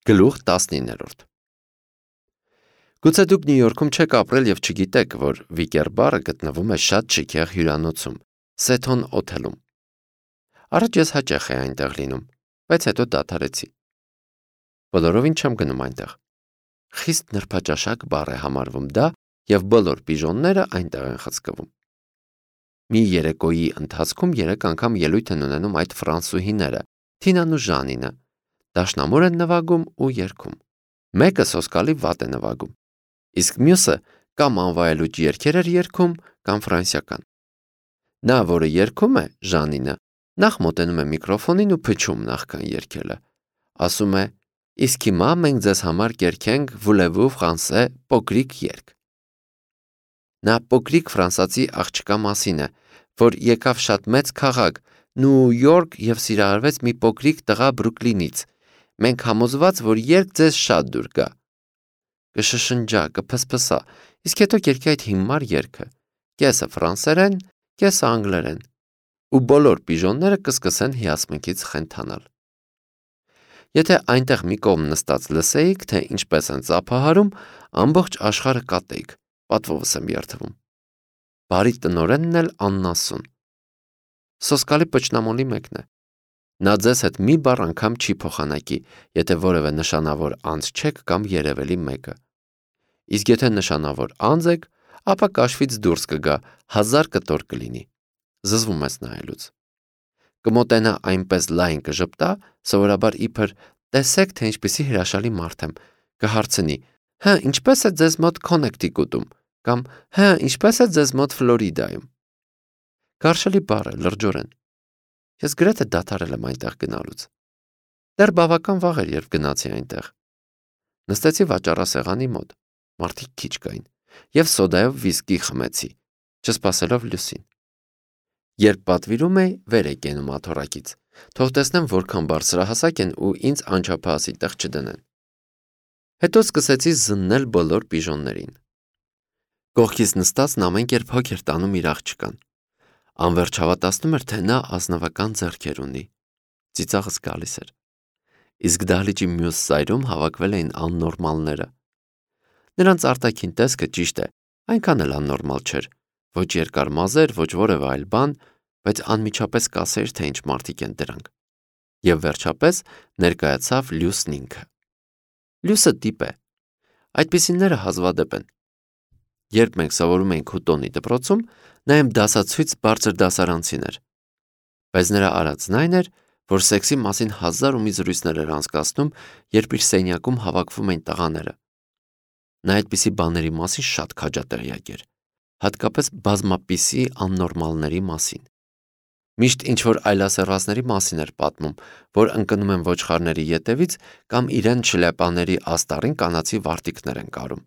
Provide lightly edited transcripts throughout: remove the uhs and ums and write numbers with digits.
Գլուխ 19 Գուցե դուք Նյու Յորքում չեք ապրել և չգիտեք, որ Վիկեր բարը գտնվում է շատ շքեղ հյուրանոցում, Սեթոն օթելում։ Առաջ ես հաճախ էի այնտեղ լինում, բայց հետո դադարեցի։ Բոլորովին չեմ գնում այնտեղ։ Խիստ նրբաճաշակ բառ է համարվում դա, և բոլոր պիժոնները այնտեղ են խցկվում։ Մի երեկոյի ընթացքում 3 անգամ ելույթ են ունենում այդ ֆրանսուհիները, Թինան ու Ժանինը, դաշնամուր են նվագում ու երգում։ Մեկը սոսկալի վատ է նվագում, իսկ մյուսը կամ անվայելուչ երգեր էր երգում, կամ ֆրանսիական։ Նա, որը երգում է, Ժանինը, նախ մոտենում է միկրոֆոնին ու փչում նախքան երգելը։ Ասում է. «Իսկ հիմա մենք ձեզ համար կերգենք Voulez-vous français փոքրիկ երգ»։ Նա փոքրիկ ֆրանսիացի աղջկա մասին է, որ եկավ շատ մեծ քաղաք, Նյու Յորք և սիրահարվեց մի փոքրիկ տղա Բրուքլինից։ Մենք համոզված, որ երգ ձեզ շատ դուր գա։ Կշշնջա, կփսփսա, իսկ հետո կերգի այդ հիմար երգը, կեսը ֆրանսերեն, կեսը անգլերեն, ու բոլոր պիժոնները կսկսեն հիասմունքից խենթանալ։ Եթե այնտեղ մի կողմ նստած լսեիք, թե ինչպես են ծափահարում, ամբողջ աշխարհը կատեիք, պատվովս եմ երդվում։ Բարի տնօրենն էլ աննասուն։ Սոսկալի պճնամոլի մեկն է։ Նա ձեզ հետ մի բառ անգամ չի փոխանակի, եթե որևէ նշանավոր անձ չեք կամ երևելի մեկը։ Իսկ եթե նշանավոր անձ եք, ապա կաշվից դուրս կգա, 1000 կտոր կլինի։ Զզվում ես նայելուց։ Կմոտենա այնպես լայն կժպտա, սովորաբար իբր տեսեք, թե ինչպիսի հրաշալի մարդ եմ, կհարցնի. «Հա, ինչպես է ձեզ մոտ Քոնեկտիկուտում» կամ «Հա, ինչպես է ձեզ մոտ Ֆլորիդայում»։ Գարշելի բառ է, լրջորեն։ Ես գրեթե դադարել եմ այնտեղ գնալուց։ Դեռ բավական վաղ էր, երբ գնացի այնտեղ։ Նստեցի վաճառասեղանի մոտ, մարդիկ քիչ կային, և սոդայով վիսկի խմեցի, չսպասելով լուսին։ Երբ պատվիրում էի, վեր էի կենում աթոռակից, թող տեսնեմ որքան բարձրահասակ են ու ինձ անչափահասի տեղ չդնեն։ Հետո սկսեցի զննել բոլոր պիժոններին։ Կողքից նստածն ամեն կերպ հոգ էր տանում իր աղջկան։ Անվերջ հավատացնում էր, թե նա ազնվական ձեռքեր ունի։ Ծիծաղս գալիս էր։ Իսկ դահլիճի մյուս ծայրում հավաքվել էին աննորմալները։ Նրանց արտաքին տեսքը, ճիշտ է, այնքան էլ աննորմալ չէր, ոչ երկար մազեր, ոչ որևէ այլ բան, բայց անմիջապես կասեիր, թե ինչ մարդիկ են դրանք։ Եվ վերջապես ներկայացավ Լյուսն ինքը։ Լյուսը տիպ է։ Այդպիսիները հազվադեպ են։ Երբ մենք սովորում էինք Հուտոնի դպրոցում, նա իմ դասացույց բարձր դասարանցին էր։ Բայց նրա արածն այն էր, որ սեքսի մասին 1000 ու մի զրույցներ էր անցկացնում, երբ իր սենյակում հավաքվում էին տղաները։ Նա այդպիսի բաների մասին շատ քաջատեղյակ էր, հատկապես բազմապիսի աննորմալների մասին։ Միշտ ինչ-որ այլասերվածների մասին էր պատմում, որ ընկնում են ոչխարների ետևից կամ իրեն շլյապաների աստառին կանացի վարտիքներ են կարում։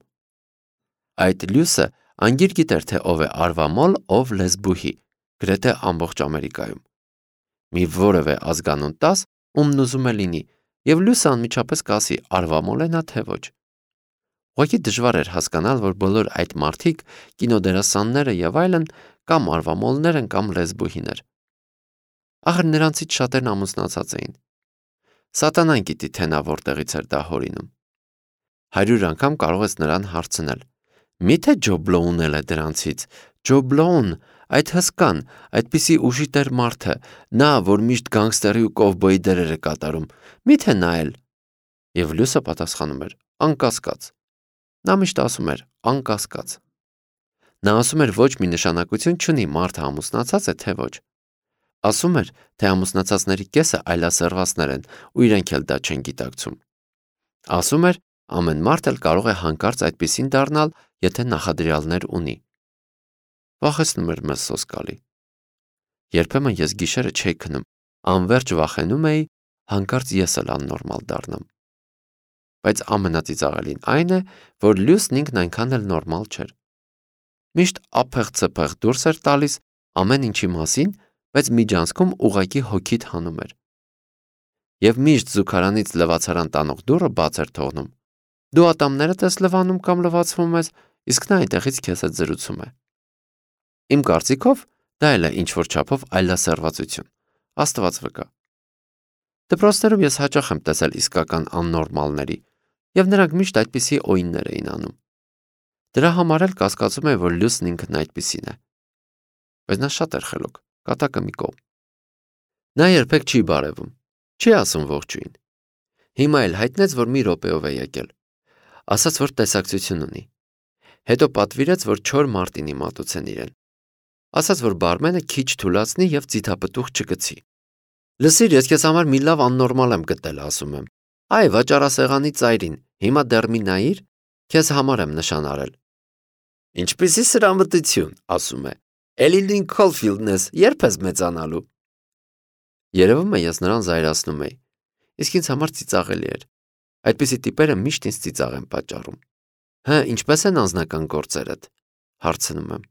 Այդ Լյուսը անգիր գիտեր, թե ով է արվամոլ, ով լեսբուհի, գրեթե ամբողջ Ամերիկայում։ Մի որևէ ազգանուն տաս, ումն ուզում է լինի, և Լյուսը անմիջապես կասի արվամոլ է նա թե ոչ։ Ուղղակի դժվար էր հասկանալ, որ բոլոր այդ մարդիկ, կինոդերասանները և այլն, կամ արվամոլներ են, կամ լեսբուհիներ։ Ախր նրանցից շատերն ամուսնացած էին։ Սատանան գիտի, թե նա որտեղից էր դա հորինում։ 100 անգամ կարող ես նրան հարցնել. «Միթե Ջո Բլոուն էլ է դրանցից, Ջո Բլոուն, այդ հսկան, այդպիսի ուժի տեր մարդը, նա, որ միշտ գանգստերի ու կովբոյի դերեր է կատարում, միթե նա էլ»։ Եվ Լյուսը պատասխանում էր. «Անկասկած»։ Նա միշտ ասում էր. «Անկասկած»։ Նա ասում էր, ոչ մի նշանակություն չունի մարդը ամուսնացած է, թե ոչ։ Ասում էր, թե ամուսնացածների կեսը այլասերվածներ են, ու իրենք էլ դա չեն գիտակցում։ Ասում էր, ամեն մարդ էլ կարող է հանկարծ այդպիսին դառնալ, եթե նախադրյալներ ունի։ Վախեցնում էր մեզ սոսկալի։ Երբեմն ես գիշերը չէի քնում, անverջ վախենում էի, հանկարծ ես էլ աննորմալ դառնամ։ Բայց ամենածիծաղելին այն է, որ Լյուսն ինքն այնքան էլ նորմալ չէր։ Միշտ ափեղ-ցփեղ դուրս էր տալիս ամեն ինչի մասին, բայց միջանցքում ուղղակի հոգիդ հանում էր։ Եվ միշտ զուգարանից լվացարան տանող դուռը բաց էր թողնում։ Դու ատամներդ ես լվանում կամ լվացվում ես, իսկ նա այնտեղից քեզ հետ զրուցում է։ Իմ կարծիքով դա էլ է ինչ-որ չափով այլասերվածություն, Աստված վկա։ Դպրոցներում ես հաճախ եմ տեսել իսկական աննորմալների, եւ նրանք միշտ այդպիսի օիններ էին անում։ Դրա համար էլ կասկածում եմ, որ Լյուսն ինքն այդպիսին է։ Բայց նա շատ էր խելոք, կատակը մի կողմ։ Նա երբեք չի բարևում, չի ասում ողջույն։ Հիմա էլ հայտնեց, որ մի րոպեով է եկել։ Ասաց, որ տեսակցություն ունի։ Հետո պատվիրեց, որ չոր մարտինի մատուցեն իրեն։ Ասաց, որ բարմենը քիչ թուլացնի եւ ձիթապտուղ չգցի։ Լսիր, ես քեզ համար մի լավ աննորմալ եմ գտել, ասում եմ։ Այ վաճառասեղանի ծայրին, հիմա դեռ մի նայիր, քեզ համար եմ նշան արել։ Ինչպիսի սրամտություն, ասում է։ Էլի Լինքոլն Քոլֆիլդն ես, երբ ես մեծանալու։ Երևում է ես նրան զայրացնում էի, իսկ ինձ համար ծիծաղելի էր։ Այդպիսի տիպերը միշտ ինձ ծիծաղ են պատճառում։ Հա, ինչպես են անձնական գործերդ, հարցնում եմ։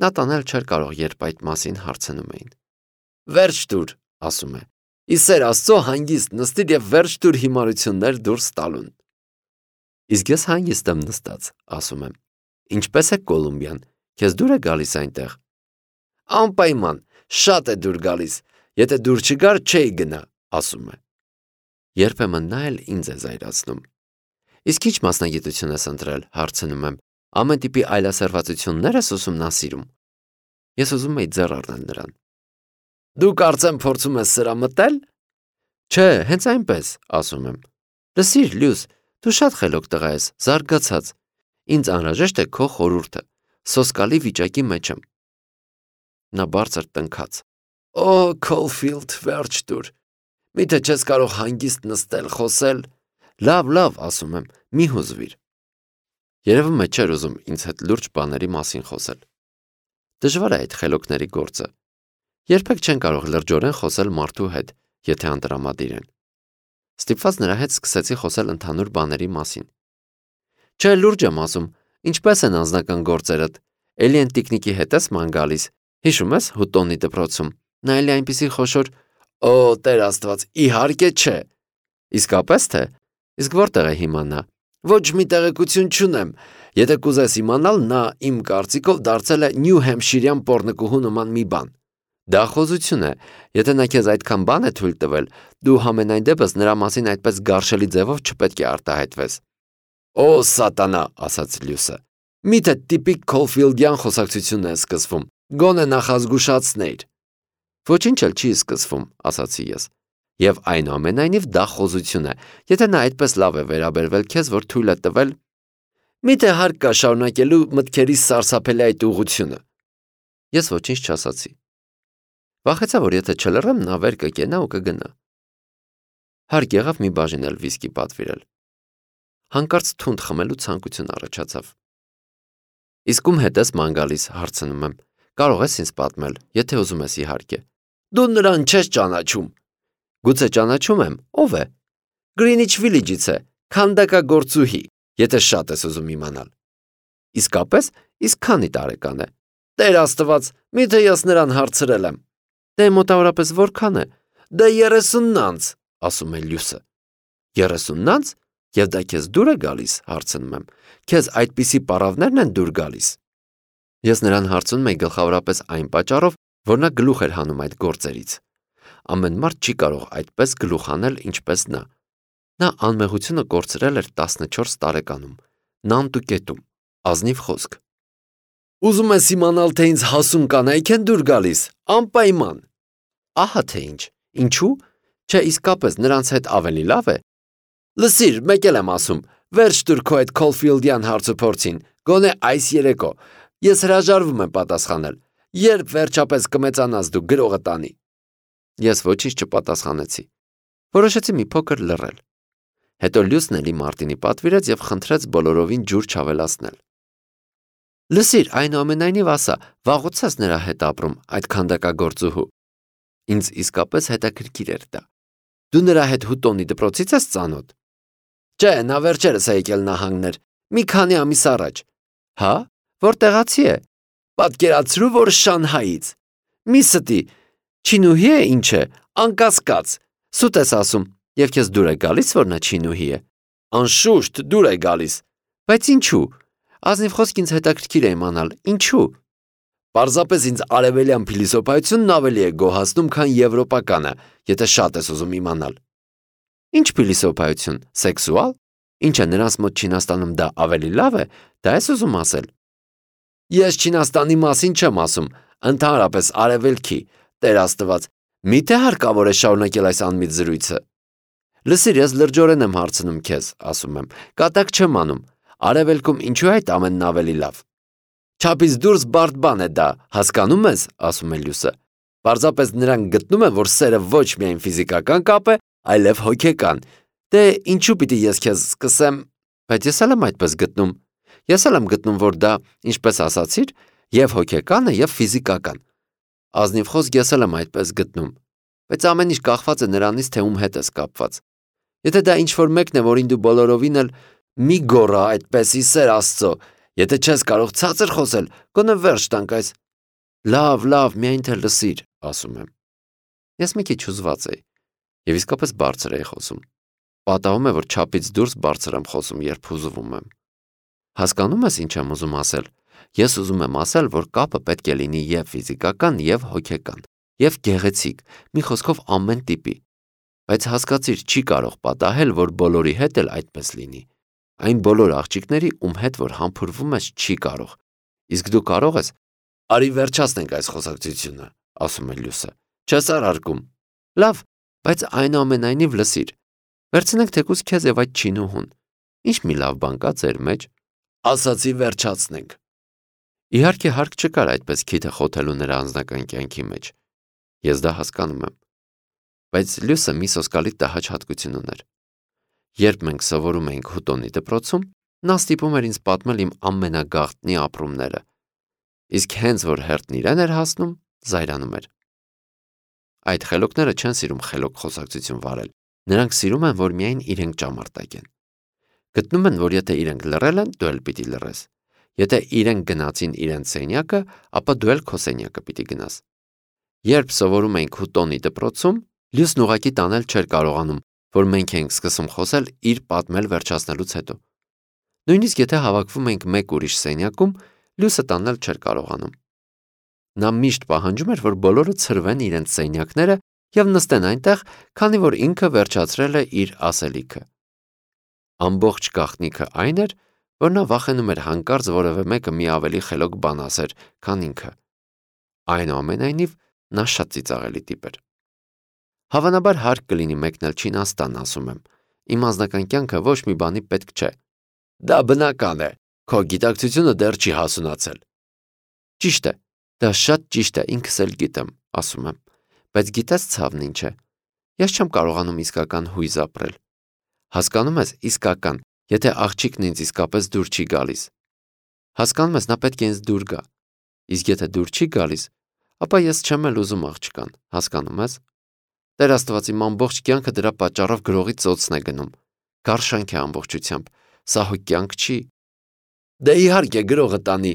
Նա տանել չէր կարող, երբ այդ մասին հարցնում էին։ Վերջ տուր, ասում է։ Իսեր Աստծո հանգիստ նստիր եւ վերջ տուր հիմարություններ դուրս տալուն։ Իսկ ես հանգիստ եմ նստած, ասում եմ։ Ինչպես է Կոլումբիան, քեզ դուր է գալիս այնտեղ։ Անպայման, շատ է դուր գալիս, եթե դուր չգար, չէի գնա, ասում է։ Երբեմն նա էլ ինձ է զայրացնում։ Իսկ ինչ մասնագիտություն ես ընտրել, հարցնում եմ։ Ամեն տիպի այլասերվածություններ ես ուսումնասիրում։ Ես ուզում եի ձեռ առնել նրան։ Դու կարծեմ փորձում ես սրամտել։ Չէ, հենց այնպես, ասում եմ։ Լսիր, Լյուս, դու շատ խելոք տղա ես, զարգացած։ Ինձ անհրաժեշտ է քո խորհուրդը։ Սոսկալի վիճակի մեջ եմ։ Նա բարձր տնքաց։ Օ, Քոլֆիլդ, վերջ տուր։ Միթե չես կարող հանգիստ նստել, խոսել։ Լավ, ասում եմ, մի հուզվիր։ Երևում է չէր ուզում ինձ հետ լուրջ բաների մասին խոսել։ Դժվար է այդ խելոքների գործը։ Երբեք չեն կարող լրջորեն խոսել մարդու հետ, եթե անտրամադիր են։ Ստիպված նրա հետ սկսեցի խոսել ընդհանուր բաների մասին։ Չէ, լուրջ եմ ասում, ինչպես են անձնական գործերդ։ Էլի են տիկնիկի հետ ես ման գալիս։ Հիշում ես Հուտոնի դպրոցում։ Նա էլի այնպիսի խոշոր։ Օ, Տեր Աստված, իհարկե չէ։ Իսկապես թե։ Իսկ որտեղ է հիմա նա։ Ոչ մի տեղեկություն չունեմ։ Եթե կուզես իմանալ, նա իմ կարծիքով դարձել է Նյու Հեմփշիրյան պոռնկուհու նման մի բան։ Դա խոզություն է։ Եթե նա քեզ այդքան բան է թույլ տվել, դու համենայն դեպս նրա մասին այդպես գարշելի ձևով չպետք է արտահայտվես։ Օ, սատանա, ասաց Լյուսը։ Միթե տիպիկ Քոլֆիլդյան խոսակցությունն է սկսվում։ Գոնե նախազգուշացնեիր։ Ոչինչ էլ չի սկսվում, ասացի ես։ Եվ այնուամենայնիվ դա խոզություն է, եթե նա այդպես լավ է վերաբերվել քեզ, որ թույլ է տվել։ Միթե հարկ կա շարունակելու մտքերի սարսափելի այդ ուղղությունը։ Ես ոչինչ չասացի։ Վախեցա, որ եթե չլռեմ, նա վեր կկենա ու կգնա։ Հարկ եղավ մի բաժին էլ վիսկի պատվիրել։ Հանկարծ թունդ խմելու ցանկություն առաջացավ։ Իսկ ում հետ ես ման գալիս, հարցնում եմ։ Կարող ես ինձ պատմել, եթե ուզում ես իհարկե։ Դու նրան չես ճանաչում։ Գուցե ճանաչում եմ, ով է։ Գրինիչ Վիլիջից է, քանդակագործուհի, եթե շատ ես ուզում իմանալ։ Իսկապես, իսկ քանի տարեկան է։ Տեր Աստված, միթե ես նրան հարցրել եմ։ Դե մոտավորապես որքան է։ Դե 30-նանց, ասում է Լյուսը։ 30-նանց, եւ դա քեզ դուր է գալիս, հարցնում եմ։ Քեզ այդպիսի պարավներն են դուր գալիս։ Ես նրան հարցնում եի գլխավորապես այն պատճառով, որ նա գլուխ էր հանում այդ գործերից։ Ամեն մարդ չի կարող այդպես գլուխ անել, ինչպես նա։ Նա անմեղությունը կորցրել էր 14 տարեկանում, նանտուկետում, ազնիվ խոսք։ Ուզում ես իմանալ, թե ինձ հասուն կանայք են դուր գալիս, անպայման։ Ահա թե ինչ, ինչու՞։ Չէ, իսկապես նրանց հետ ավելի լավ է։ Լսիր, մեկ էլ եմ ասում, վերջ տուր քո այդ Քոլֆիլդյան հարցուփորձին, գոնե այս երեկո։ Ես հրաժարվում եմ պատասխանել։ Երբ վերջապես կմեծանաս դու գրողը տանի։ Ես ոչինչ չպատասխանեցի։ Որոշեցի մի փոքր լռել։ Հետո Լյուսն էլի Մարտինի պատվիրեց եւ խնդրեց բոլորովին ջուր չավելացնել։ Լսիր, այնուամենայնիվ ասա, վաղուց ես նրա հետ ապրում, այդ քանդակագործուհու։ Ինձ իսկապես հետաքրքիր էր դա։ Դու նրա հետ Հուտոնի դպրոցից ես ծանոթ։ Չէ, նա վերջերս է եկել նահանգներ, մի քանի ամիս առաջ։ Հա, որտեղացի է։ Պատկերացրու, որ Շանհայից։ Մի ստի, չինուհի է ինչ է, անկասկած։ Սուտ ես ասում, եւ քեզ դուր է գալիս, որ նա չինուհի է։ Անշուշտ դուր է գալիս։ Բայց ինչու։ Ազնիվ խոսք ինձ հետաքրքիր է իմանալ, ինչու։ Պարզապես ինձ արևելյան փիլիսոփայությունն ավելի է գոհացնում, քան եվրոպականը, եթե շատ ես ուզում իմանալ։ Ինչ փիլիսոփայություն, սեքսուալ։ Ինչը նրանց մոտ Չինաստանում դա ավելի լավ է, դա ես ուզում ասել։ Ես Չինաստանի մասին չեմ ասում, ընդհանրապես արևելքի, Տեր Աստված, միթե հարկավոր է շարունակել այս անմիտ զրույցը։ Լսիր, ես լրջորեն եմ հարցնում քեզ, ասում եմ, կատակ չեմ անում, արևելքում ինչու է այդ ամենն ավելի լավ։ Չափից դուրս բարդ բան է դա, հասկանում ես, ասում է Լյուսը։ Պարզապես նրանք գտնում են, որ սերը ոչ միայն ֆիզիկական կապ է, այլև հոգեկան։ Դե ինչու պիտի ես քեզ սկսեմ, բայց ես էլ եմ այդպես գտնում։ Ես էլ եմ գտնում, որ դա, ինչպես ասացիր, եւ հոգեկան է, եւ ֆիզիկական։ Ազնիվ խոսք ես էլ եմ այդպես գտնում, բայց ամեն ինչ կախված է նրանից, թե ում հետ ես կապված։ Եթե դա ինչ-որ մեկն է, որին դու բոլորովին էլ մի գոռա այդպեսի սեր Աստծո, եթե չես կարող ցածր խոսել, գոնե վերջ տանք այս։ Լավ, միայն թե լսիր, ասում եմ։ Ես մի քիչ հուզված էի, եւ իսկապես բարձր էի խոսում։ Պատահում է, որ չափից դուրս բարձր եմ խոսում, երբ հուզվում եմ։ Հասկանում ես ինչ եմ ուզում ասել։ Ես ուզում եմ ասել, որ կապը պետք է լինի եւ ֆիզիկական, եւ հոգեկան, եւ գեղեցիկ, մի խոսքով ամեն տիպի։ Բայց հասկացիր, չի կարող պատահել, որ բոլորի հետ էլ այդպես լինի։ Այն բոլոր աղջիկների, ում հետ որ համբուրվում ես, չի կարող։ Իսկ դու կարող ես։ Արի վերջացնենք այս խոսակցությունը, ասում է Լյուսը։ Չես արարկում։ Լավ, բայց այնուամենայնիվ լսիր։ Վերցնենք թեկուզ քեզ եւ այդ չինուհուն։ Ինչ մի լավ բան կա ձեր մեջ։ Ասացի վերջացնենք։ Իհարկե հարկ չկար այդպես քիթը խոթելու նրա անձնական կյանքի մեջ։ Ես դա հասկանում եմ։ Բայց Լյուսը մի սոսկալի տհաճ հատկություն ուներ։ Երբ մենք սովորում էինք Հուտոնի դպրոցում, նա ստիպում էր ինձ պատմել իմ ամենագաղտնի ապրումները։ Իսկ հենց որ հերթն իրեն էր հասնում, զայրանում էր։ Այդ խելոքները չեն սիրում խելոք խոսակցություն վարել։ Նրանք սիրում են, որ միայն իրենք ճամարտակ են։ Գտնում են, որ եթե իրենք լռել են, դու էլ պիտի լռես։ Եթե իրենք գնացին իրենց սենյակը, ապա դու էլ քո սենյակը պիտի գնաս։ Երբ սովորում էինք Հուտոնի դպրոցում, Լյուսն ուղղակի տանել չէր կարողանում, որ մենք էինք սկսում խոսել իր պատմել վերջացնելուց հետո։ Նույնիսկ եթե հավաքվում էինք մեկ ուրիշ սենյակում, Լյուսը տանել չէր կարողանում։ Նա միշտ պահանջում էր, որ բոլորը ցրվեն իրենց սենյակները եւ նստեն այնտեղ, քանի որ ինքը վերջացրել է իր ասելիքը։ Ամբողջ գաղտնիքը այն էր, որ նա վախենում էր հանկարծ որևէ մեկը մի ավելի խելոք բան ասեր, քան ինքը։ Այնուամենայնիվ, նա շատ ծիծաղելի տիպ էր։ Հավանաբար հարկ կլինի մեկնել Չինաստան, ասում եմ։ Իմ անձնական կյանքը ոչ մի բանի պետք չէ։ Դա բնական է։ Քո գիտակցությունը դեռ չի հասունացել։ Ճիշտ է, դա շատ ճիշտ է, ինքս էլ գիտեմ, ասում եմ։ Բայց գիտես ցավն ինչ է։ Ես չեմ կարողանում իսկական հույզ ապրել։ Հասկանում ես, իսկական, եթե աղջիկն ինձ իսկապես դուր չի գալիս։ Հասկանում ես, նա պետք է ինձ դուր գա։ Իսկ եթե դուր չի գալիս, ապա ես չեմ էլ ուզում աղջկան, հասկանում ես։ Տեր Աստված, իմ ամբողջ կյանքը դրա պատճառով գրողի ծոցն է գնում։ Գարշանք է ամբողջությամբ, սա հո կյանք չի։ Դե իհարկե գրողը տանի,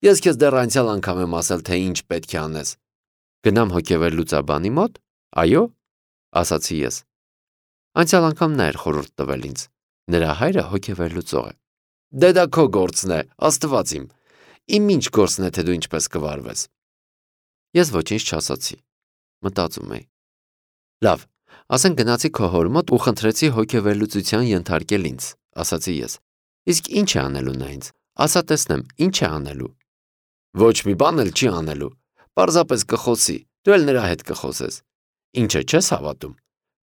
ես քեզ դեռ անցյալ անգամ եմ ասել, թե ինչ պետք է անես։ Գնամ հոգեվերլուծաբանի մոտ, այո, ասացի ես։ Անցյալ անգամ նա էր խորհուրդ տվել ինձ։ Նրա հայրը հոգեվերլուծող է։ Դե դա քո գործն է, Աստված իմ։ Իմ ինչ գործն է, թե դու ինչպես կվարվես։ Ես ոչինչ չասացի։ Մտածում էի։ Լավ, ասենք գնացի քո հոր մոտ ու խնդրեցի հոգեվերլուծության ենթարկել ինձ, ասացի ես։ Իսկ ինչ է անելու նա ինձ։ Ասա տեսնեմ, ինչ է անելու։ Ոչ մի բան էլ չի անելու։ Պարզապես կխոսի, դու էլ նրա հետ կխոսես։ Ինչը չես հավատում։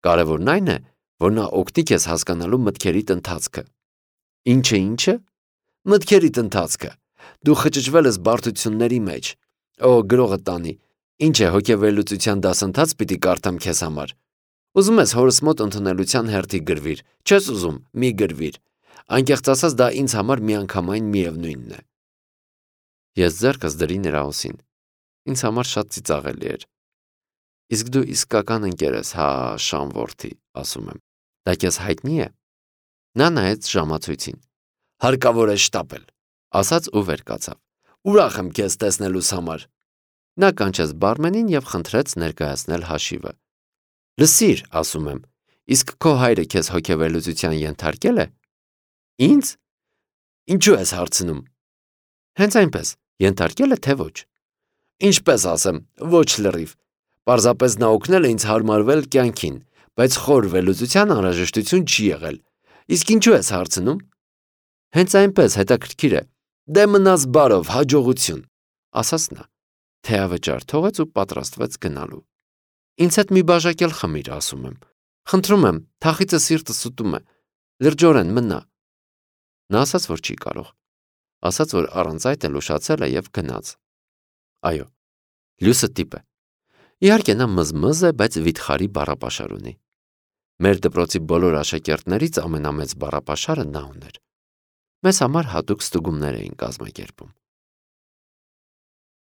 Կարևորն այն է, որ նա օգնի քեզ հասկանալու մտքերիդ ընթացքը։ Ինչը։ Մտքերիդ ընթացքը։ Դու խճճվել ես բարդությունների մեջ։ Օ, գրողը տանի։ Ինչ է հոգեվերլուծության դասընթաց պիտի կարդամ քեզ համար։ Ուզում ես հորս մոտ ընդունելության հերթի գրվիր։ Չես ուզում, մի գրվիր։ Անկեղծ ասած, դա ինձ համար միանգամայն միևնույնն է։ Ես ձեռքս դրի նրա ուսին։ Ինձ համար շատ ծիծաղելի էր։ Իսկ դու իսկական ընկեր ես, հա, Շան որդի, ասում եմ։ Դա քեզ հայտնի է։ Նա նայեց ժամացույցին։ Հարկավոր է շտապել, ասաց ու վեր կացավ։ Ուրախ եմ քեզ տեսնելուս համար։ Նա կանչեց բարմենին եւ խնդրեց ներկայացնել հաշիվը։ Լսիր, ասում եմ, իսկ քո հայրը քեզ հոգեվերլուծության ենթարկել է։ Ինձ։ Ինչու ես հարցնում։ Հենց այնպես, ենթարկել է թե ոչ։ Ինչպես ասեմ, ոչ լրիվ։ Պարզապես նա օգնել է ինձ հարմարվել կյանքին, բայց խոր վերլուծության անհրաժեշտություն չի եղել։ Իսկ ինչու ես հարցնում։ Հենց այնպես հետաքրքիր է։ Դե մնաս բարով, հաջողություն, ասաց նա, թեյավճար թողեց ու պատրաստվեց գնալու։ Ինձ հետ մի բաժակ էլ խմիր, ասում եմ։ Խնդրում եմ, թախիծը սիրտս ուտում է, լրջորեն մնա։ Նա ասաց, որ չի կարող, ասաց, որ առանց այդ էլ ուշացել է և գնաց։ Այո, լյուսը տիպ է։ Իհարկե նա մզմզ է, բայց վիթխարի բառապաշար ունի։ Մեր դպրոցի բոլոր աշակերտներից ամենամեծ բառապաշարը նա ուներ։ Մեզ համար հատուկ ստուգումներ էին կազմակերպում։